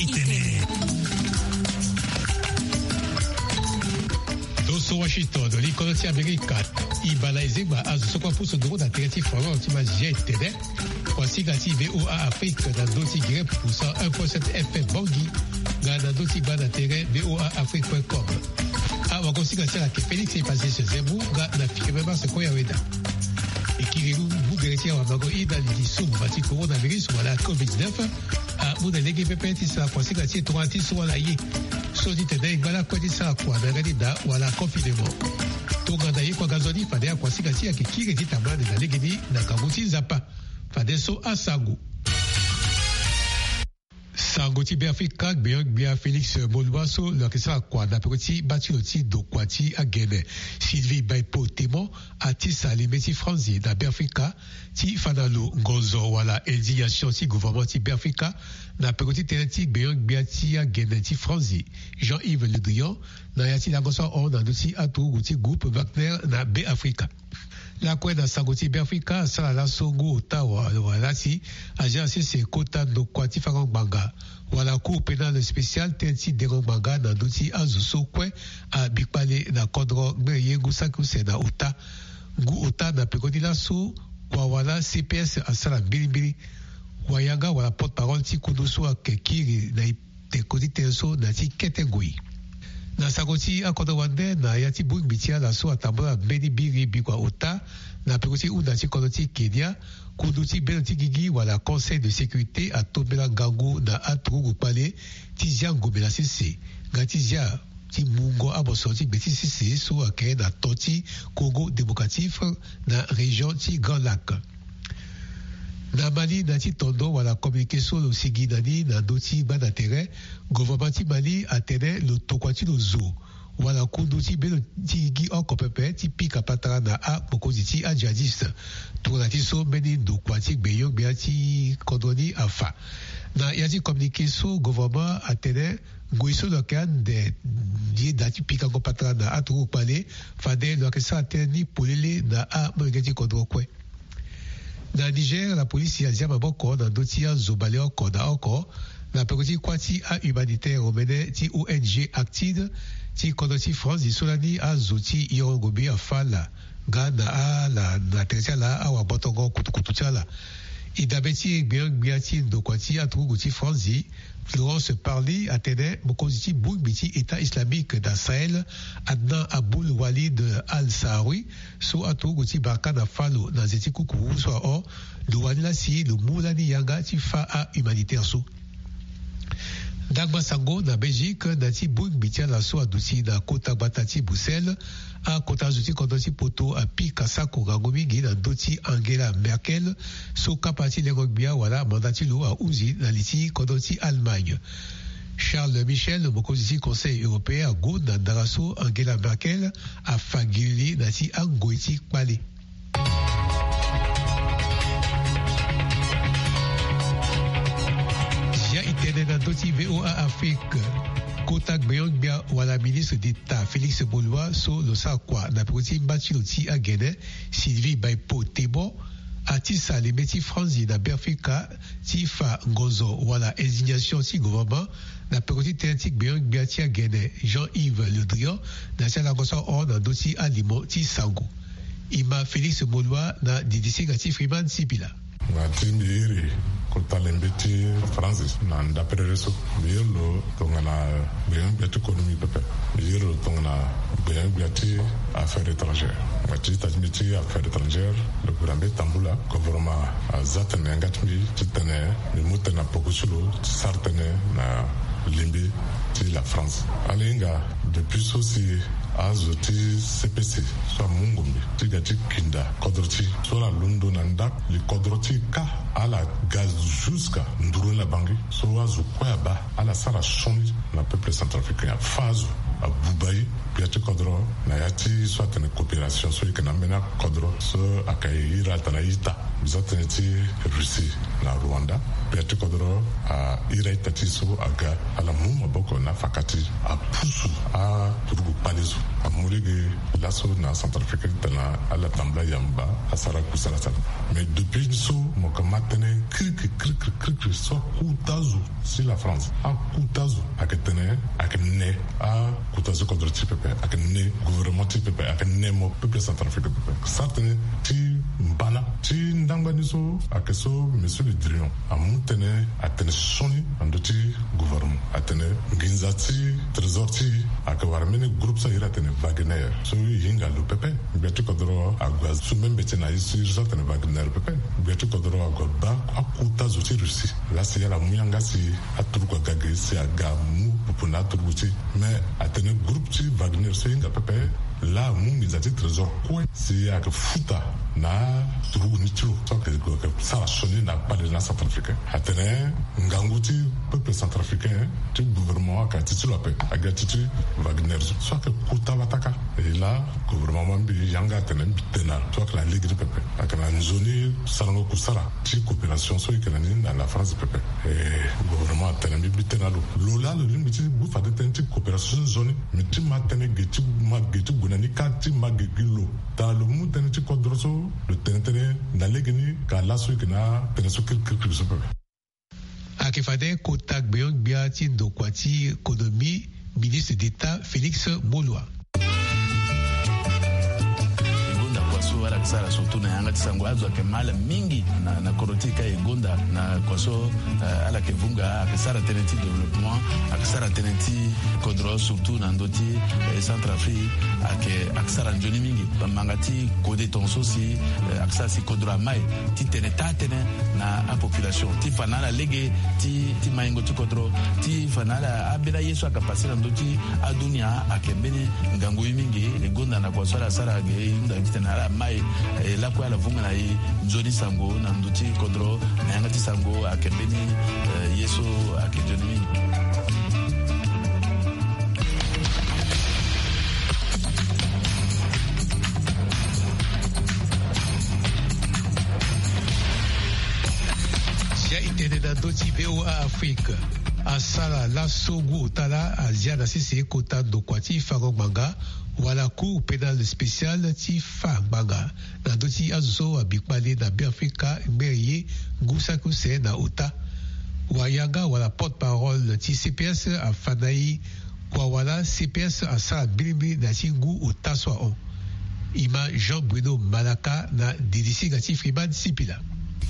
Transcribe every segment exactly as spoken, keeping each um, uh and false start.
Itene. Doso Washington, li kodro ti Amerika. Ibala ezengba azo so kue apusu nduru na tere ti Florent ti Mazier etene. Wasinga ti VOA Afrique na ndö ti Grep pour cent un point sept F M Bangui, nga na ndö ti gba na tere VOA Afrique point com. Awagosinga ti ala yeke Félix Epasese Zembu nga na firme Marse Koya Weda. E kiri lu mu gere ti awamango i na li ti sumba ti coronavirus wala covid neuf. Amu na lege pepe ti sara kuasinga ti e tongana ti so wala ye. So ti tene e ngba lakue ti sara kua na yanga ti da wala confinement. Tongana ye kue aga nzoni fade akuasinga ti e ayeke kiri ti tambula ande na legeni na ngangu ti Nzapa. Fadeso asango. Sango ti Beafrika, gbenyo-gbia Félix Moloua so lo yeke sara kua na peko ti baa ti lo ti ndokua ti agene Sylvie Baipo Temon atisa lime ti franzi na Beafrika ti fa na lo ngonzo wala indignation ti gouvernement ti Beafrika na peko ti tënë ti gbenyo-gbia ti agene ti franzi Jean-Yves Le Drian na ya ti lango so ahon na ndö ti aturugu ti groupe Wagner na Beafrika. Lakue na sango ti Beafrika asara laso ngu ota wa- wala si agence sese kota ndokua ti fango ngbanga wala cour pénale spéciale tënë ti dengo ngbanga na ndö ti azo so kue abikpale na kodro ngbene ye ngu saki use na ota. Ngu ota na peko ti laso kua wala C P S asara mbilimbili. Wayanga wala porte-parole ti kundu so ayeke kiri na e- teko ti tënë so na ya ti kete ngoi. Na sango ti akodro wande na ya ti bongbi ti ala so atambula mbeni biri bikua ota na peko ti hunda ti kodro ti Kenya, kundu ti bendo ti gigi wala Conseil de sécurité atombela ngangu na aturugu kpale ti zia ngomela sese nga ti zia ti mungo abosoro ti gbe ti sese so ayeke na to ti Congo démocratique na région ti Grand Lac. Na Mali na ya ti tondo wala communiqué so lo sigi na ni na ndö ti gba na tere, gouvernement ti Mali atene lo tokua ti lo zo wala kundu ti bendo ti gigi oko pepe ti pika patara na akpokozi ti ajihadiste. Tongana ti so mbeni ndokua ti gbenyo-gbia ti kodro ni afa. Na ya ti communiqué so gouvernement atene ngoi so lo yeke ande ye daa ti pikango patara na aturugu kpale, fade lo yeke sara tënë ni polele na amolenge ti kodro kue. Na Niger, la polisi azia maboko na ndö ti azo baleoko na oko na peko ti kuâ ti ahumanitaire omene ti O N G Actid ti kodro ti France so lani azo ti yongo ngombe afa ala nga na ala na tere ti ala awagbotongo kutukutu ti ala. E dabe ti e gbenyo-gbia ti ndokua ti aturugu ti France, Florence Parly atene mokonzi ti bongbi ti État islamique na Sahel, Adnan Aboul Walid Al-Saharoui, so aturugu ti Barkhane afa lo na nze ti kukuru so ahon, lo wani laa si lo mu lani yanga ti fâ ahumanitaire so. Ndangba sango na Belgique na ya ti bongbi ti ala so aduti na kota gbata ti Bruxelles, akota zo ti kodro ti poto apika sako ngangu mingi na ndö ti Angela Merkel, so kapa ti lengo-gbia wala manda ti lo ahunzi na li ti kodro ti Allemagne. Charles Michel, mokonzi ti Conseil européen, ague na ndara so Angela Merkel afa gilili na ya ti angoi ti kpale. Ya e tene na ndö ti VOA Afrique, kota gbenyo-gbia wala ministre d'État Félix Moloua so lo sara kua na peko ti mba ti lo ti agene Sylvie Baipo Temon atisa lime ti franzi na Beafrika ti fa ngonzo wala indignation ti gouvernement na peko ti tënë ti gbenyo-gbia ti agene Jean-Yves Le Drian na ya ti alango so ahon na ndö ti alimo ti sango. E ma Félix Moloua na didisinga ti Freeman Sipila. Nga ti mbi iri kota lembe ti Franzi na ndaperere so. Mbi iri lo tongana gbenyo-gbia ti konomi pepe. Mbi iri lo tongana gbenyo-gbia ti affaire étrangère. Nga ti ita ti mbi ti affaire étrangère, lo bira mbi tambula gouvernement aza tene nga ti mbi ti tene mbi mu tene na poko ti lo ti sara tënë na lembe ti la France. Ala hinga depuis so si azo ti C P C so amu ngombe ti ga ti kinda kodro ti e so ala londo na ndako li kodro ti e kâ, ala ga jusqu'à nduru ni la Bangui so azo kue abaa, ala sara sioni na peuple centrafricain, afâ azo, abuba e. Gbia ti kodro na ya ti so atene coopération so e yeke na ambeni akodro so ayeke iri ala tene a-ita. Mbi za tënë ti Russie, Na Rwanda, gbia ti kodro a iri a-ita ti so aga, ala mu maboko na faka ti apusu aturugu kpale so. Amu lege laso na Centrafrique titene ala tambula yamba asara kusala sala. Mais depuis so mo ka ma tënë kirikiri kirikiri kirikiri so akuta zo si la France akuta zo ayeke tene ayeke ne akuta zo kodro ti pepe, ayeke ne gouvernement ti pepe, ayeke ne mo peuple centrafricain pepe. Sara tënë ti mbana ti ndangba ni so ayeke so monsieur le Drian amu tënë atene sioni na ndö ti gouvernement atene nginza ti trésor ti e ayeke wara mbeni groupe so a iri atene Wagner so e hinga lo pepe. Gbia ti kodro ague asu mbembe ti e na e so e iri so atene Wagner pepe. Gbia ti kodro ague abaa akuta zo ti Russie lasi ala mu yanga si aturugu aga ge si aga mu popo na aturugu ti e. Mais atene groupe ti Wagner so e hinga pepe laa amu nginza ti trésor kue si ayeke futa na aturugu ni ti lo so ayeke sara sioni na kpale na Centrafricain. Atene ngangu ti peuple centrafricain ti gouvernement ayeke na ti ti lo ape, aga ti ti Wagner so ayeke kota bataka. E laa gouvernement mbi yanga atene mbi tene na so ayeke na lege ni pepe ayeke na nzoni sarango kusala ti coopération so e yeke na ni na la France pepe. E gouvernement atene mbi mbi tene na lo. Lo laa lo lingbi ti gu fade tënë ti coopération ti nzoni. Mbi ti ma tënë ge ti ma ge ti gue na ni kâ ti ma ge gi lo. Tara lo mu tënë ti kodro so lo tene tënë na lege ni ka laso e yeke na tënë so kirikiri so pepe. Ayeke fade kota gbenyo-gbia ti ndokua ti économie, ministre d'état Félix Moloua. E gonda kua so ala yeke sara surtout na yanga ti sango azo ayeke ma ala mingi na, na kodro ti e ka e gonda na kua so, eh, ala yeke vunga ayeke sara tënë ti développement, ayeke sara tënë ti kodro surtout na ndö ti, eh, Centrafrique ayeke, ayeke sara nzoni mingi. Bamanga ti kode tongaso si, eh, ayeke sara si kodro amai ti tene taa tënë na apopulation ti fa na ala lege ti, ti maingo ti kodro ti fa na ala ambeni aye so ayeke pase na ndö ti adunia ayeke mbeni ngangu ye mingi. E gonda na kua so ala sara ge e hunda titene ala mai, eh, lakue ala vunga na e nzoni sango na ndö ti kodro na yanga ti sango ayeke mbeni, eh, ye so ayeke nzoni mingi. Sia e tene na ndö ti V O A Afrique. Asara laso ngu ota laa azia na sese kota ndokua ti fango ngbanga wala Cour pénale spéciale ti fa ngbanga na ndö ti azo so abi kpale na Beafrika ngbere ye ngu saki use na ota. Wayanga wala porte-parole ti C P S afa na e kua wala C P S asara mbilimbili na ya ti ngu ota so ahon. E ma Jean Bruno Malaka na dilisinga ti Freeman Sipila.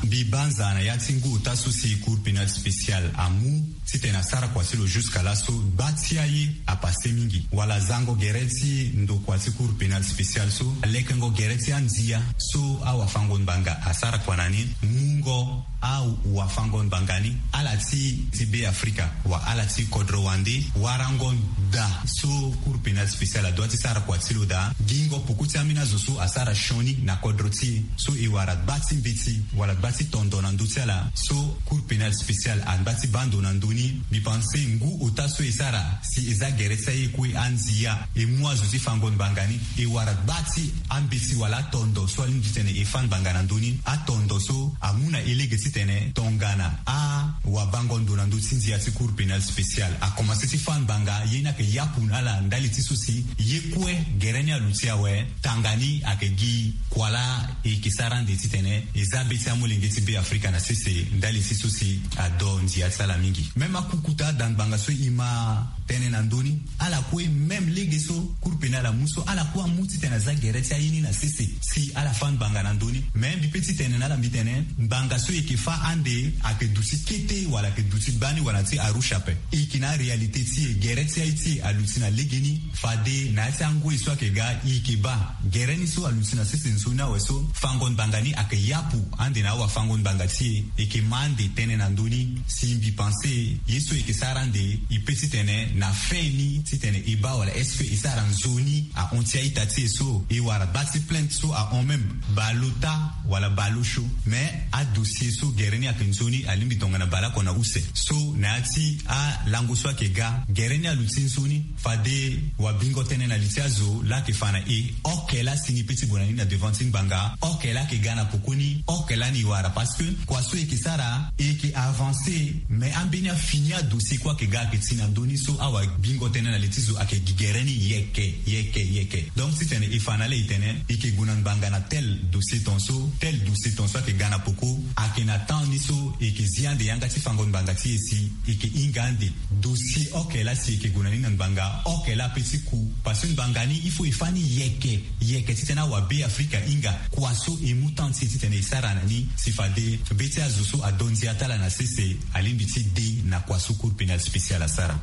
Mbi banza na ya ti ngu ota so si Cour pénale spéciale amu titene asara kua ti lo jusqu'à laso gba ti aye apase mingi wala zango gere ti ndokua ti Cour pénale spéciale so lekengo gere ti andia so awafango ngbanga asara kua na ni, mungo awafango ngbanga ni, ala ti, ti Beafrika wa ala ti kodro wande, warango daa so Cour pénale spéciale adua ti sara kua ti lo daa, gingo poko ti ambeni azo so asara sioni na kodro ti e so e wara gba ti mbeti wala gba ti tondo na ndö ti ala so Cour pénale spéciale angba ti baa ndo na ndö ni. Mbi pense ngu ota so e sara si e za gere ti aye kue andia e mu azo ti fango ngbanga ni, e wara gba ti ambeti wala atondo so alingbi titene e fâ ngbanga na ndö ni. Atondo so amu na e lege titene tongana awabango ndo na ndö ti ndia ti Cour pénale spéciale akomanse ti fâ ngbanga, ye ni ayeke yapu na ala ndali ti so si ye kue gere ni aluti awe. Tanga ni ayeke gi kua laa e yeke sara ande titene e za be ti amolenge ti Beafrika na sese ndali ti so si ado ndia ti ala mingi. Même akukuta da ngbanga so e ma tene na ndö ni, ala kue même lege so Cour pénale amu so, ala kue amu titene aza gere ti aye ni na sese si ala fâ ngbanga na ndö ni. Mais mbi pe ti tene na ala mbi tene ngbanga so e yeke fâ ande ayeke duti kete wala ayeke duti gbani wala ti Arusha ape. E yeke na aréalité ti e, gere ti aye ti e aluti na legeni. Fade na ya ti angoi so ayeke ga e yeke baa gere ni so aluti na sese nzoni awe so fango ngbanga ni ayeke yapu ande na awafango ngbanga ti e. E yeke ma ande tënë na ndö ni si mbi pense ye so e yeke sara ande e pe titene na fin ni titene e baa wala est-ce que e sara nzoni ahon ti a-ita ti e so e wara gba ti plainte so ahon même baleota wala baleosio. Mais adossier so Gere ni ayeke nzoni, alingbi tongana baleoko na use. So na ya ti alango so ayeke ga, gere ni aluti nzoni. Fade wabingo tënë na li ti azo laa ayeke fa na e, oke laa si ni pe ti gue na ni na devant ti ngbanga, oke laa ayeke ga na pokoni, oke laa ni wara. Parce que kua so e yeke sara, e yeke avancer. Mais ambeni afini adossier kue ayeke ga ayeke ti na ndö ni so awabingo tënë na li ti zo ayeke gi gere ni yeke yeke yeke. Donc titene e fa na ala e tene e yeke gue na ngbanga na tel dossier tongaso, tel dossier tongaso ayeke ga na poko, ayeke na temps ni so e yeke zi ande yanga ti fango ngbanga ti e si e yeke hinga ande. Dossier oke laa si e yeke gue na ni na ngbanga, oke laa pe ti ku. Parce que ngbanga ni il faut e fa ni yeke yeke titene awabe Afrika hinga kua so e mu temps ti e titene e sara na ni. Si fade be ti azo so adonzi ata ala na sese, alingbi ti de na kua so Cour pénale spéciale asara.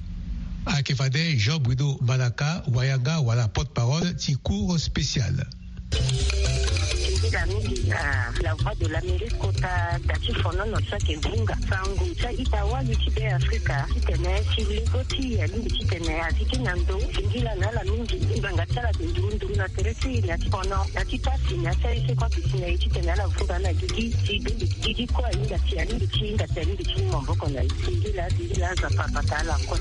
Ayeke fade Jean Bruno Malaka, wayanga wala porte-parole ti Cour spéciale. Mingi na La Voix de l'Amérique kota da ti fonono so ayeke vunga sango ti a-ita wali ti Be Afrika titene ti lego ti e alingbi titene azi ti na ndo. Singila na ala mingi ngbanga ti ala ayeke nduru nduru na tere ti e na ti fono na ti pasi na ti aye so kue ayeke si na e titene ala vunga na gigi ti be gigi kue ahinga ti alingbi ti hinga ti alingbi ti mu maboko na e. Singila singila aza papata ala kue.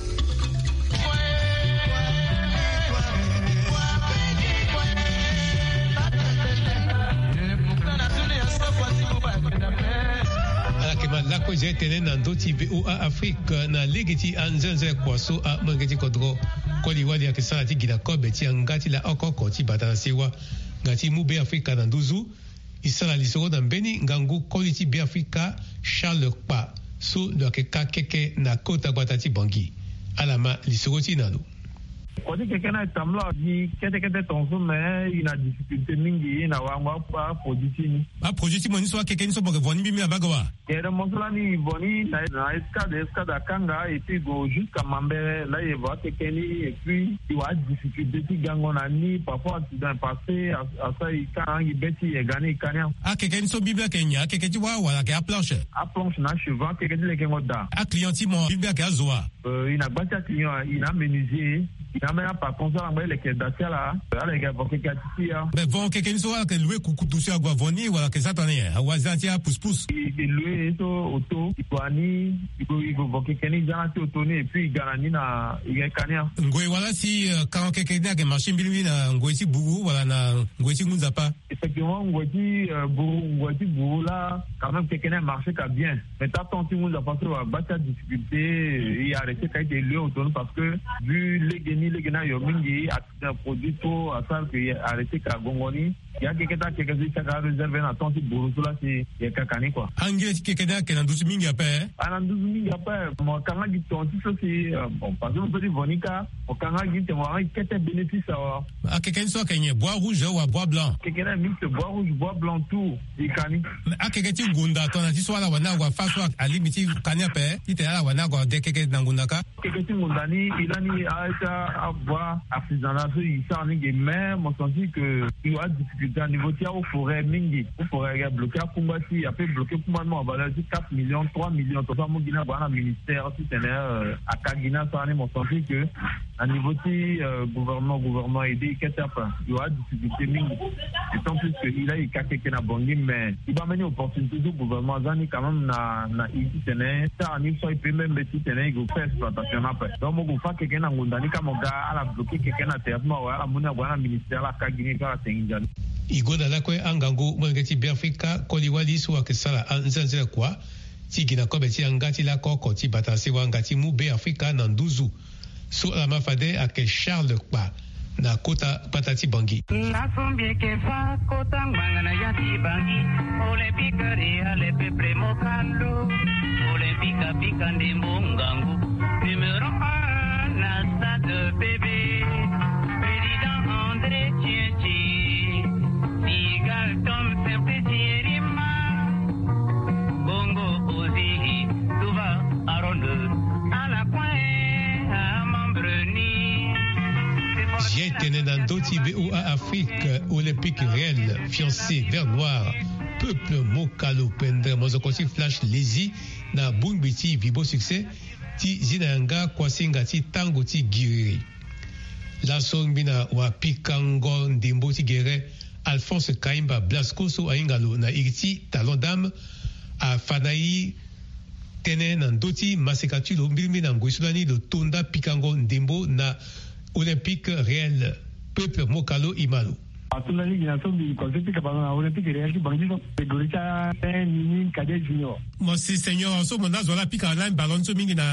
Ala yeke ma lakue zia tënë na ndö ti V O A Afrique na lege ti anzenze kua so amolenge ti kodro. Koli wali ayeke sara ti gi na kobe ti yanga ti la oko oko ti bata na sewa nga ti mu Be Afrika na nduzu. E sara lisoro na mbeni ngangu koli ti Be Afrika Charles Kpa so lo yeke ka keke na kota gbata ti Bangui. Ala ma lisoro ti e na lo. Kua ti keke ni atambula gi kete kete tongaso me e na difficulté mingi na wango aproduit ti ni. Aproduit ti mo ni so akeke ni so mo yeke vo ni mbimbi na mbage wa? Gere mo so lani e vo ni na escade escade akanga et puis e gue jusqu'à Mambere laa e vo akeke ni et puis e wara adifficulté ti gango na ni. Parfois accident e passé, asara e ka na angi be ti e ga ni e ka ni. Akeke ni so mbimbi ayeke nyen? Akeke ti wâ wala ayeke aplanche? Aplanche na achevant akeke ti lekengo daa. Aclient ti mo mbimbi ayeke azo wa? E na gba ti aclient e na amenuisier e na ambeni apatron so ala ngba ti leke da ti ala. Ala yeke avo keke ati ti ya. Me vo keke ni so ala yeke loue kukutu si ague avo ni wala ayeke sara tënë nyen? Awazi ala ti apouspousse. E yeke loue so auto e gue na ni e gue e gue vo keke ni e za na ti auto ni et puis e ga na ni na e yeke ka ni. Ngoi wala si karan keke ni ayeke marché mbilimbili na ngoi ti buru wala na ngoi ti ngu nzapa? Effectivement ngoi ti buru ngoi ti buru laa quand même keke ni amarché ka bien. Mais ta temps ti ngu nzapa so e wara gba ti adifficulté e arrêté ka ite e loue auto ni parce que vu lege ni lege ni ayo mingi. Produit trop asara ke e arrêté ka gongo ni. Ya keke ta keke so e saka aréserve na temps ti buru so laa si e yeke ka ni kua. Angile ti keke ni ayeke na nduzu mingi ape? Ayeke na nduzu mingi ape. Mo kanga gi ton ti so si bon parce que mo so ti vo ni kâ mo kanga gi te mo wara gi kete bénéfice awa. Akeke ni so ayeke nyen? Bois rouge wa bois blanc? Keke ni mix bois rouge bois blanc tout. E ka ni. Akeke ti ngonda tongana ti so ala wani ague afa so alingbi ti ka ni ape titene ala wani ague ade keke na ngonda kâ? Keke ti ngonda ni e lani a ti avoie artisanal so e sara ni ge mais mo sentir que e wara difficulté na niveau ti ahaut forêt mingi. Haut forêt ayeke bloqué akungba ti e ape bloqué kungba ni mo avaleur ti quatre millions trois millions tongaso amu gi ni ague na ministère titene aka gi ni asara ni mo sentir que na niveau ti gouvernement gouvernement aidé e kete ape. E wara difficulté mingi. D'autant plus que e laa e ka keke na Bangui mais e baa mbeni opportunité so gouvernement aza ni quand même na na e titene e sara ni so e peut même titene e gue faire exploitation ni ape. Donc mo gue fa keke ni na ngonda ni kâ mo ga ala bloqué keke ni na tere ti mo awe ala mu ni ague na ministère ala ka gi ni et puis ala tengi nzoni. E gonda lakue angangu molenge ti Beafrika koli wali so ayeke sara anzenze kua ti gi na kobe ti yanga ti lako oko ti bata na sewa nga ti mu Beafrika na nduzu. So ala ma fade ayeke Charles Kpa na kota gbata ti Bangui. Laso mbi yeke fa kota ngbanga na ya ti Bangui. Olympique Real Peuple Mokalo. Olympique apika ndembo ngangu. Numéro un na stade P B. Président André Tchetche. Sigal Tom Simplice Yerima. Bongo Ozihi Tuba Aaron. Ala kue amembre ni. Zia e tene na ndö ti V O A Afrique, Olympique Real, fiancé vert noir, Peuple Mokalo pendere mozoko ti Flash Lezi na bongbi ti Vibo Succès ti zi na yanga kuasinga ti tango ti giriri. Laso ngbi na wapikango ndembo ti gere Alphonse Kaimba Blasco so ahinga lo na iri ti Talon Dame Afa na i tënë na ndö ti maseka ti lo mbirimbiri na ngoi so lani lo to nda pikango ndembo na Olympique Réel. Peuple Mokalo Imalo. Ato lani gi na so mbi koze pika ballon na Olympique Réel ti Bangui so. Catégorie ti a un minime cadet junior. Mo si senior so mo nda zo ala pika lani ballon so mingi na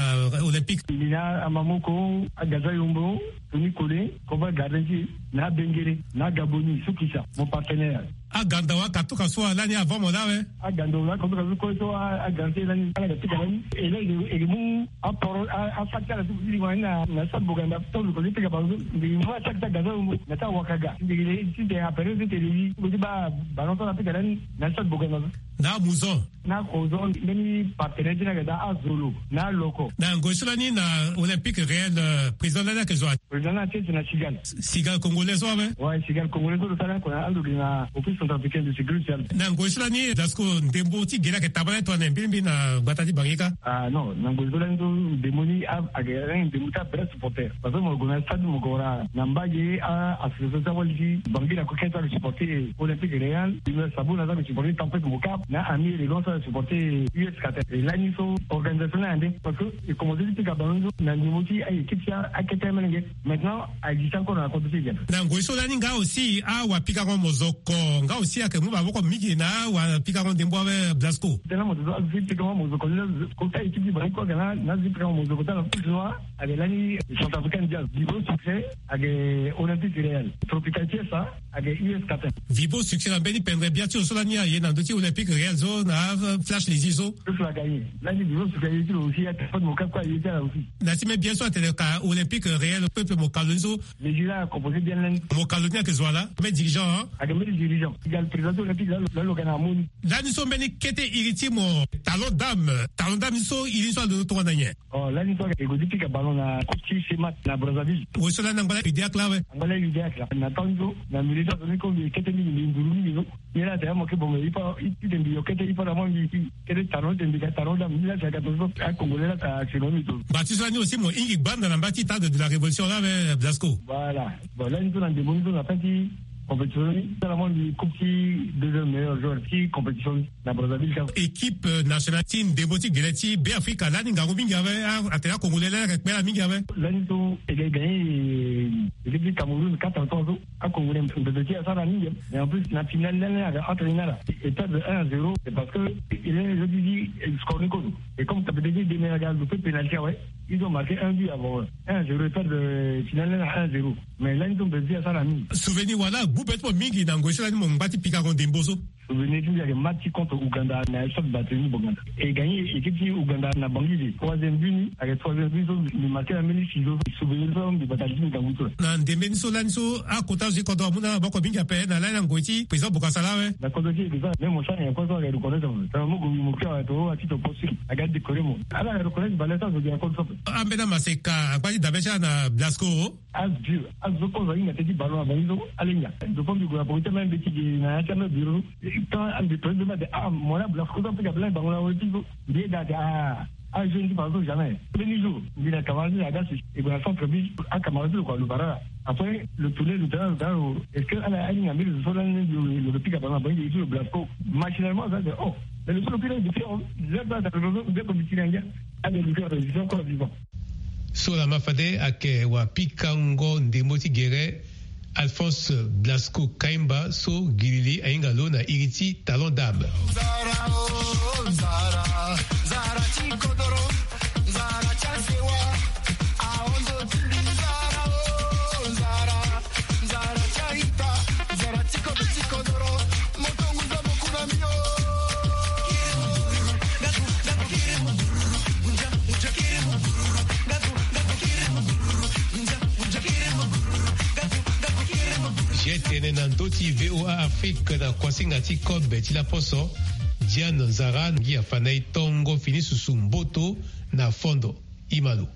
Olympique. Mbi na Amamoko, Agaza Yombo, Tony Kole, Koba Gardien ti na Bengere, na Gaboni, Sukisa, mon partenaire. Aganda wa katuka so alani avant mo la we. Aganda wa katuka so ko so a, a garanti lani, ala ga pika lani. E la e, e mu a poro, a, a facteur so kiri wani na, na sa boganda. To ko pika ba so. Ndi mo a sa ta gaza mo na ta wakaga. Ndi le ti de a pere ti tele yi. Ko ti ba, ba no to na pika lani na sa boganda. Na muzo. Na kozo, mbeni partenaire ti na ga da Azolo, na Loko. Na ngoi so lani na Olympique Réel, euh, président lani ayeke zo. Président na tete na Cigale. Cigale congolais so awe? Ouais, Cigale congolais so lo sara oko na ando gi na Office centrafricain de sécurité sociale. Na ngoi so lani Blasco ndembo ti gere ayeke tabala tongana mbirimbiri na gbata ti Bangui kâ? Ah non, na ngoi so lani so ndembo ni a, ayeke ndembo ti abref supporter. Parce que mo gue na stade mo gue wara na mbage a association ti awali ti Bangui na ko kete azo supporter Olympique Réel, Sabouna azo supporter Tempête Mocap, na Ami Élégance azo supporter U S Qatar. E lani so organisation ni ande. Parce que e commencé ti pika ballon so na niveau ti a équipe ti akete melenge. Maintenant a existe encore na kodro ti e. Na ngoi so lani nga aussi awapikango mozoko nga aussi ayeke mu maboko mingi na awapikango ndembo awe Blasco. Tena mo zo azo ti pikango mozoko ni kota équipe ti bango kue ayeke na azo ti pikango mozoko ti ala plus noir. Ayeke lani Centrafricain Jazz, Vivo Succès, ayeke Olympique Réel, Tropical Fiesta, ayeke U S Qatar. Vivo Succès na mbeni pendre bia ti lo so lani aye na ndö ti Olympique Réel so na Flash Lezi so. Tout cela gagné. Lani Vivo Succès aye ti lo aussi, aye ti Fod Mocap kue aye ti ala aussi. Na ti me bien so atene ka Olympique Réel peuple Mocalo ni so. Nigeria a composé bien lani. Mocalo ni ayeke zo ala me dirigeant, hein? Ayeke mbeni dirigeant. Égal président ti Olympique la lo, la lo ga na amoni. Lani so mbeni kete iri ti mo Talon Dame. Talon Dame ni so iri ni so alondo tongana nyen? Oh, lani so e gue ti pika ballon na coupe ti Semat na Brazzaville. Wo so lani angba la UDAC la awe. Angba la UDAC la. Na temps so na milieu so azo ni ko mbi kete mingi mbi nduru mingi so. Ni la tene mo ke bon mbi ipa, i tene mbi yo kete ipa na mo mbi kete Talon tene mbi ga Talon Dame. Ni la tene ga to so a Congolais la ta sino mbi to. Ba ti so lani aussi mo hingi gbanda na mba ti Stade de la Révolution la awe Blasco. Voilà. Bon, lani so na ndembo ni so na fin ti compétition ni. Tala mo mbi coupe ti deuxième meilleur joueur ti compétition ni. Na Brazzaville kâ. Équipe, euh, nationale ti ndembo ti gele ti Beafrika lani ngangu mingi awe, a, atene a Congolais lani ayeke kpela mingi awe. Lani so e ga gagné, euh, équipe ti Cameroun quatre à trois so. A Congolais mpe ti asara mingi. Mais en plus na finale lani ayeke entre ni na ala. E perdre un à zéro, c'est parce que il est, je dis, score ni kozo. Et comme capitaine ti Deme aga lo fait pénalty awe, ils ont marqué un but avant, un à zéro, e perdre, euh, finale lani na un à zéro. Mais lani so mpe ti asara mingi. Souvenir wala gbu be ti mo mingi na ngoi so lani mo ngba ti pikango ndembo so? Souvenir ti mbi ayeke match ti contre Ouganda na stade Barthélemy Boganda. E gagné équipe ti Ouganda na Bangui. Troisième but ni ayeke troisième but so mbi marqué na mbeni sizo. Souvenir so mbi bata li ti mbi ngangu so. Na ndembe ni so lani so akota zo ti kodro amu na maboko mingi ape na lani na ngoi ti président Bokassa la awe. Na kodro ti e dejà même mo sara nyen kue so ayeke reconnaître mo. Tongana mo gue mo kiri awe to atito poste ayeke décoré mo. Ala ayeke reconnaître valeur ti azo gi na kodro so ape. Ambeni amaseka angba ti dabe ti ala na Blasco. Azo, azo kozo ahinga teti ballon na bango so, ala hinga. Ndo fo mbi gue na poko ti amai mbi ti gi na ya ti amai bureau. Tant mbi président mbi ade, ah, mo la Blasco so apika ballon na bango na weti so. Mbi eda ade, ah, ah, jeune ti ballon so jamais. Premier jour, mbi na camarade ti aga si, e gue na centre ville, ah, camarade ti lo kua lo bara la. Après, lo tourner, lo tala, lo tala, lo, est-ce que ala ahinga mbi lo so lani lo, lo pika ballon na bango, lo Blasco. Machinalement, ça, c'est, oh, mais lo so lo pika, depuis, oh, zéro place, lo so, mbi ko mbi ti na ngia. Ah, mais lo pika, je suis encore vivant. So lama fade ayeke wapikango ndembo ti gere Alphonse Blasco Kaimba so gilili ahinga lo na iri ti Talon Dame. Ye tene na ndö ti V O A Afrique na kuasinga ti kobe ti laposo. Diane Nzara ngia fa na e tongo fini susu mboto na fondo. Imalo.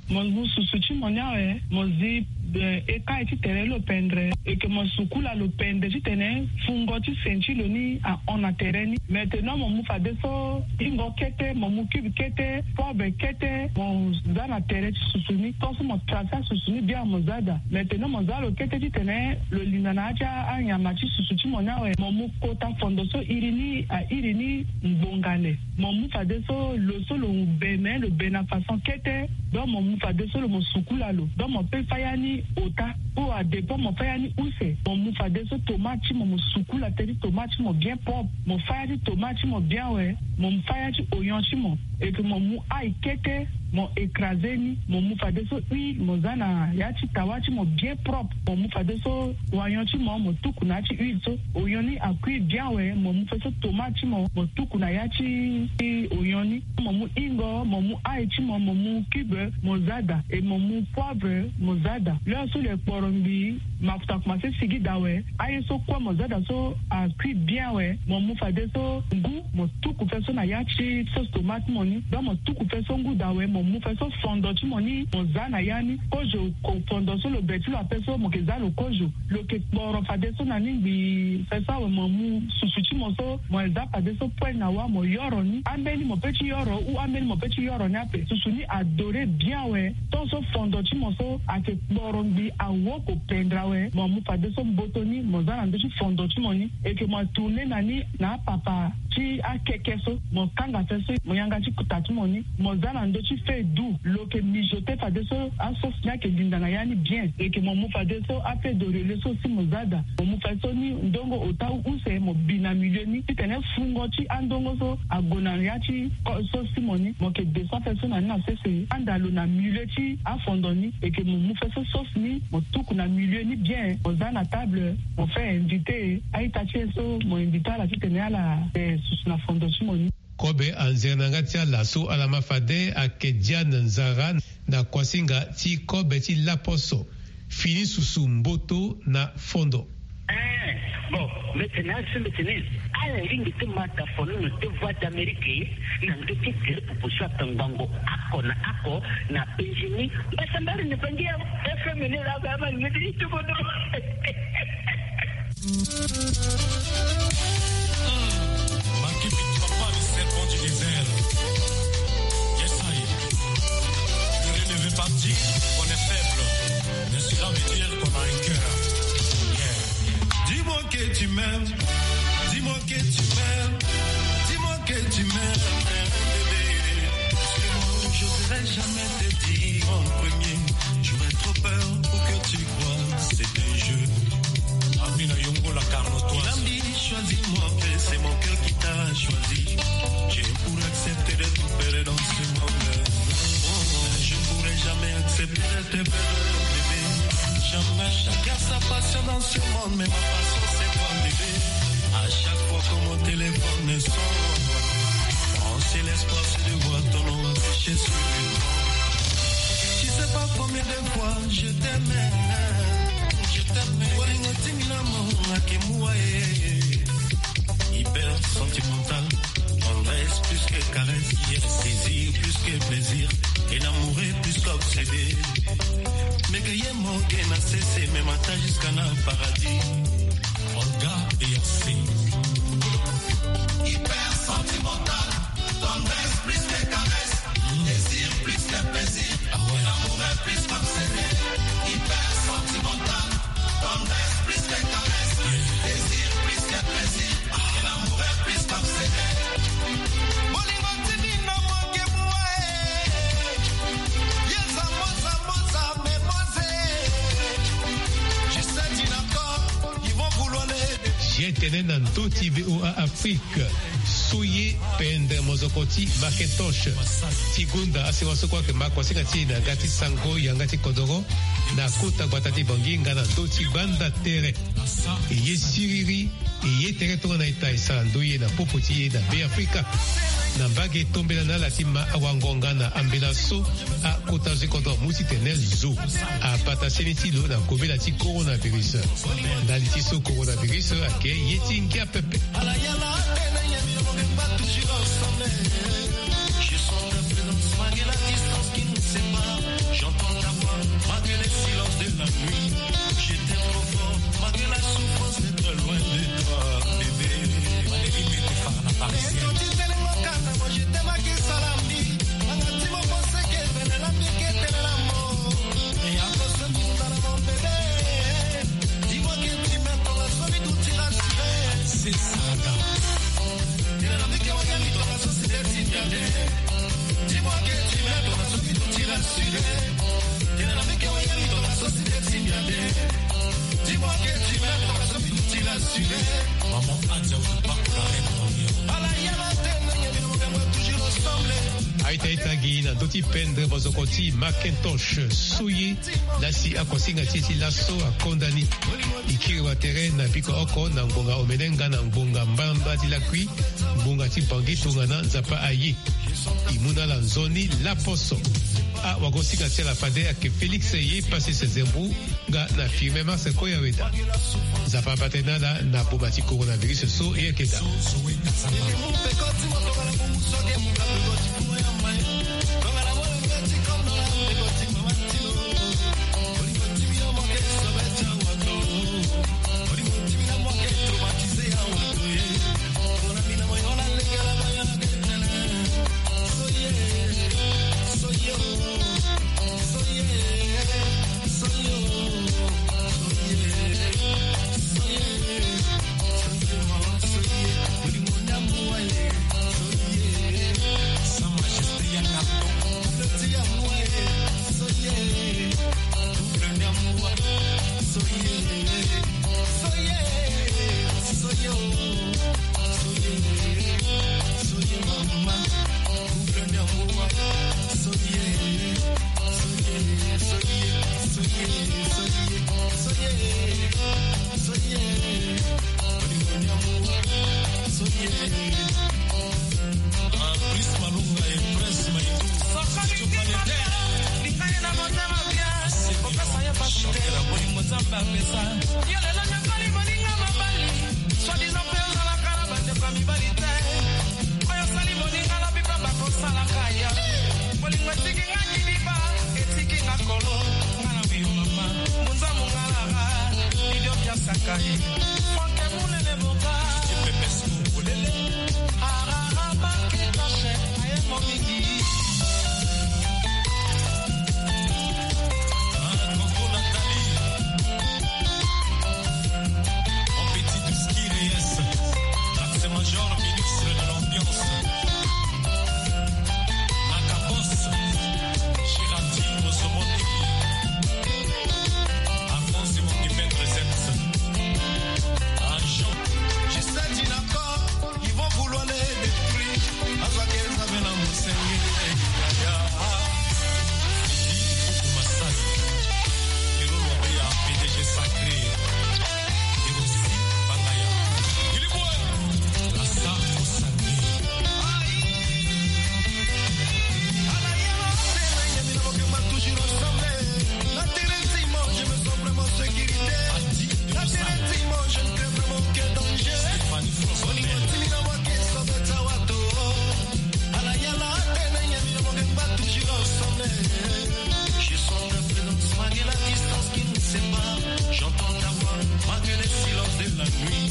Mo zi susu ti mo ni awe, mo zi, eh, eka ti tere lo pendre. Eke mo sukula lo pende titene fungo ti sein ti lo ni ahon na tere ni. Maintenant mo mu fadeso ingo kete, mo mu cube kete, poivre kete, mo za na tere ti susu ni. Tongaso mo tracer susu ni bien, mo za daa. Maintenant mo za lo kete titene lo linda na ya ti anyama ti susu ti mo ni awe. Mo mu kota fondo so iri ni airi ni ngbonga le. Mo mu fadeso lo so lo be, me lo be na façon kete. Donc mo mu fadeso lo, mo sukula lo. Donc mo pe fâ ya ni ota. Ou à dépend mo fâ ya ni use. Mo mu fadeso tomate ti mo, mo sukula tere ti tomate ti mo bien propre. Mo fâ ya ti tomate ti mo bien awe. Mo mu fâ ya ti oignon ti mo. Et puis mo mu ail kete, mo écraser ni. Mo mu fadeso huile, mo za na ya ti tawa ti mo bien propre. Mo mu fadeso oignon ti mo, mo tuku na ya ti huile so. Oignon ni a cuire bien awe, mo mu fadeso tomate ti mo, mo tuku na ya ti oignon ni. Mo mu ingo, mo mu ail ti mo, mo mu cube, mo za daa. Et mo mu poivre, mo za daa. L'heure so lo kporo ngbii, mafuta akomanse sigi daa awe. Aye so kue mo za daa so a cuire bien awe. Mo mu fadeso ngu, mo tuku fadeso na ya ti sauce tomate ti mo ni. Donc mo tuku fadeso ngu daa awe, mo mu fadeso fondo ti mo ni, mo za na ya ni. Kozo, ko fondo so lo be ti lo ape so, mo ke za lo kozo. Lo ke kporo fadeso na ni ngbii. Fadeso awe mo mu susu ti mo so, mo za fadeso poêle na wâ, mo yoro ni. Ambeni mo pe ti yoro, ou ambeni mo pe ti yoro ni ape. Susu ni a dorer bien awe. Tongaso fondo ti mo so ake kporo ngbii, awoko pendre awe, mo mu fadeso mboto ni, mo za na ndö ti fondo ti mo ni. Eke mo tourner na ni na apapa ti akeke so, mo kanga fadeso, mo yanga ti kuta ti mo ni, mo za na ndö ti feu doux. Lo ke mijoter fadeso asauce ni ake linda na ya ni bien. Eke mo mu fadeso afeu de relais so si mo za daa. Mo mu fadeso ni ndongo ota ou use, mo bi na milieu ni titene fungo ti andongo so ague na ya ti ko-, sauce ti mo ni. Mo ke descend fadeso na ni na sese, handa lo na milieu ti afondo ni. Eke mo mu fadeso sauce ni, mo tuku na milieu ni bien, mo za na table, mo fait inviter a-ita ti e so mo inviter ala titene ala, eh, susu na fondo ti mo ni. Kobe anzere na yanga ti ala so ala ma fade ayeke Diane Nzara na kuasinga ti kobe ti laposo. Fini susu mboto na fondo. Eh, bon, mbi tene asi mbi tene ala lingbi ti ma tafono na te Voix d'Amérique na ndö ti tere pupu so atangbango oko na oko na penzi ni. Mbasambari ni bangi ya F M ni la ba ma ni ti tuko dro. Makipi, papa, le serpent du désert. Yes, I. Ne relevez pas dire qu'on est faible, mais cela veut dire qu'on a un cœur. Yeah. Dis-moi que tu m'aimes, dis-moi que tu m'aimes, dis-moi que tu m'aimes, bébé. Parce que moi, j'oserais jamais te dire en premier. J'aurais trop peur pour que tu crois c'est un jeu. Amina Yongo, la Carnotoise. Nambi, choisis-moi, c'est mon cœur qui t'a choisi. Je pourrais accepter d'être père dans ce monde. Je pourrais jamais accepter d'être père, bébé. Jamais. Chacun sa passion dans ce monde, mais ma passion c'est toi, bébé. À chaque fois que mon téléphone sonne, mon seul espoir c'est de voir ton nom affiché sur l'écran. Tu sais pas combien de fois je t'aimais. Je t'aimais. Bolingo ti ngi na mo nga ke mua e. Hyper sentimental, tendresse plus que caresse, désir plus que plaisir, et l'amour est plus qu'obsédé. Mais que ye mo ke na sese, même attache jusqu'à na paradis. Olga et Hercé. Hyper sentimental, tendresse plus que caresse, désir plus que plaisir. Ah ouais. L'amour est plus qu'obsédé. Hyper sentimental, tendresse plus que caresse, désir plus que plaisir. L'amour est plus qu'obsédé. Bolingo ti ngi na mo ke mua e. Ye za mo za mo za me mo ze. Je sais tu d'accord, ils vont vouloir les. Ye tene na ndö ti V O A Afrique. So ye pendre mozoko ti Macintosh ti gonda asewa so kue ayeke ma kuasinga ti e na yanga ti sango yanga ti kodoro na kota gbata ti Bangui nga na ndö ti gbanda tere. E ye siriri, e ye tere tongana ita e sara ndoye na popo ti e na Beafrika. Na mbage tombela na ala ti ma awango nga na ambela so akota zo ti kodro amu titene zo abata seni ti lo na kobela ti coronavirus. Ndali ti so coronavirus ayeke ye ti ngia pepe. Aita ita gi na ndö ti pendre bozoko ti Macintosh Soye, laa si akosinga ti e ti laso akonda ni. E kiri watere na biko oko na ngbonga omene nga na ngbonga mbalambala ti lakui, ngbonga ti Bangui tongana Nzapa aye. E mu na ala nzoni laposo. Awagosinga ti ala fade ayeke Félix Yepassis Zembu nga na Firmin Mars Koyaweda. Nzapa abate na ala na boma ti coronavirus so e yeke daa. Soi-disant mpe ozalaka na bandeko ya mibali te. Oyo osali moninga lobi mpe bakosalaka ya. Bolingo etiki nga kidiba, etiki nga kolo. Nga na yo mama, munza mungalara, idio biasaka ye. Franke munene boka. Arara bakitache, aye momingi. Ah, Coco Nathalie. Mon petit Douski Reyes, Max Major, ministre de l'Ambiance. Makabos, Chirati, Mosomoni, Alphonse Mokipe, Presence. Ah, Jean. Je sais, Dinako. Ils vont vouloir les détruire. Azwa ke nzambe na mosenge. Yaya. Fidi Kuku Masai. Kero Lombeya, P D G sacré. Hiroshi Bangaya. Ilibwe. Lasa Osangi. Toujours ensemble. La terre est immense, je me sens vraiment sécurité. La terre est immense, je ne crains vraiment aucun danger. Stéphanie François. Bolingo ti mina wa ke sobe ta wato. Ala yala tene ya mina mo ke mba toujours ensemble. Je sens ta présence malgré la distance qui nous sépare. J'entends ta voix malgré les silences de la nuit.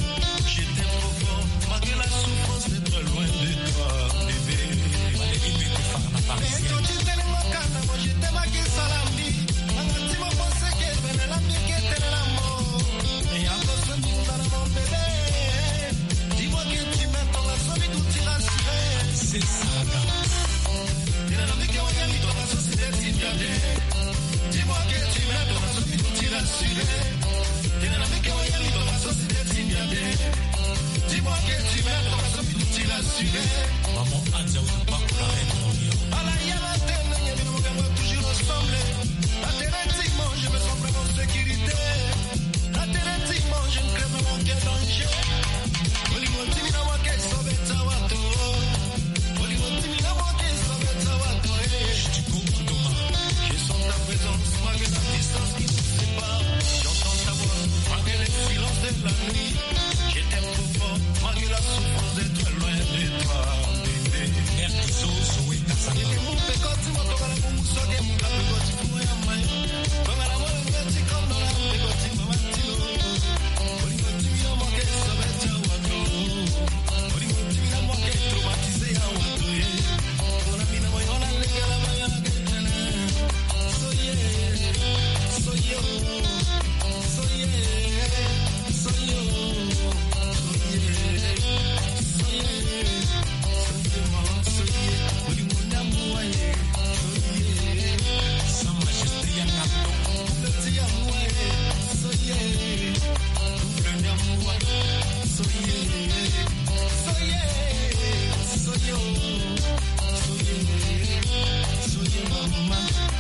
Je t'aime trop fort malgré la souffrance d'être loin de toi, bébé. Beto ti tene mo kana mo, je t'aime ake salami. Nanga ti mo pensé que bene la mbi ke tene la mo. Et à cause de nous, nous allons mon bébé. Dis-moi que tu m'aimes, ton garçon, mais tout ira rassuré. C'est ça, là. Tene na mbi ke wayali, ton garçon, si te ti mbi ade. Dis-moi que tu m'aimes, ton garçon, mais tout ira rassuré. Tene na mbi ke wayali, ton garçon, si te ti mbi ade. Dis-moi que tu m'aimes, ton garçon, mais tout ira rassuré. Maman Adia, ou pas pour la reine, mon lion. Ala yala tene, ya bino mo ke mba toujours ensemble. La terre est immense, je me sens vraiment en sécurité. La terre est immense, je ne crains vraiment aucun danger. Bolingo ti mina wa ke sobe ta wato. Bolingo ti mina wa ke sobe ta wato, eh. Je sens ta présence malgré la distance qui nous sépare. J'entends ta voix malgré les silences de la nuit. Je t'aime trop fort malgré la souffrance d'être loin de toi, bébé. Mère Kizo, Zoé Kasama. Ete mu peko ti mo tongana mu muso ke mu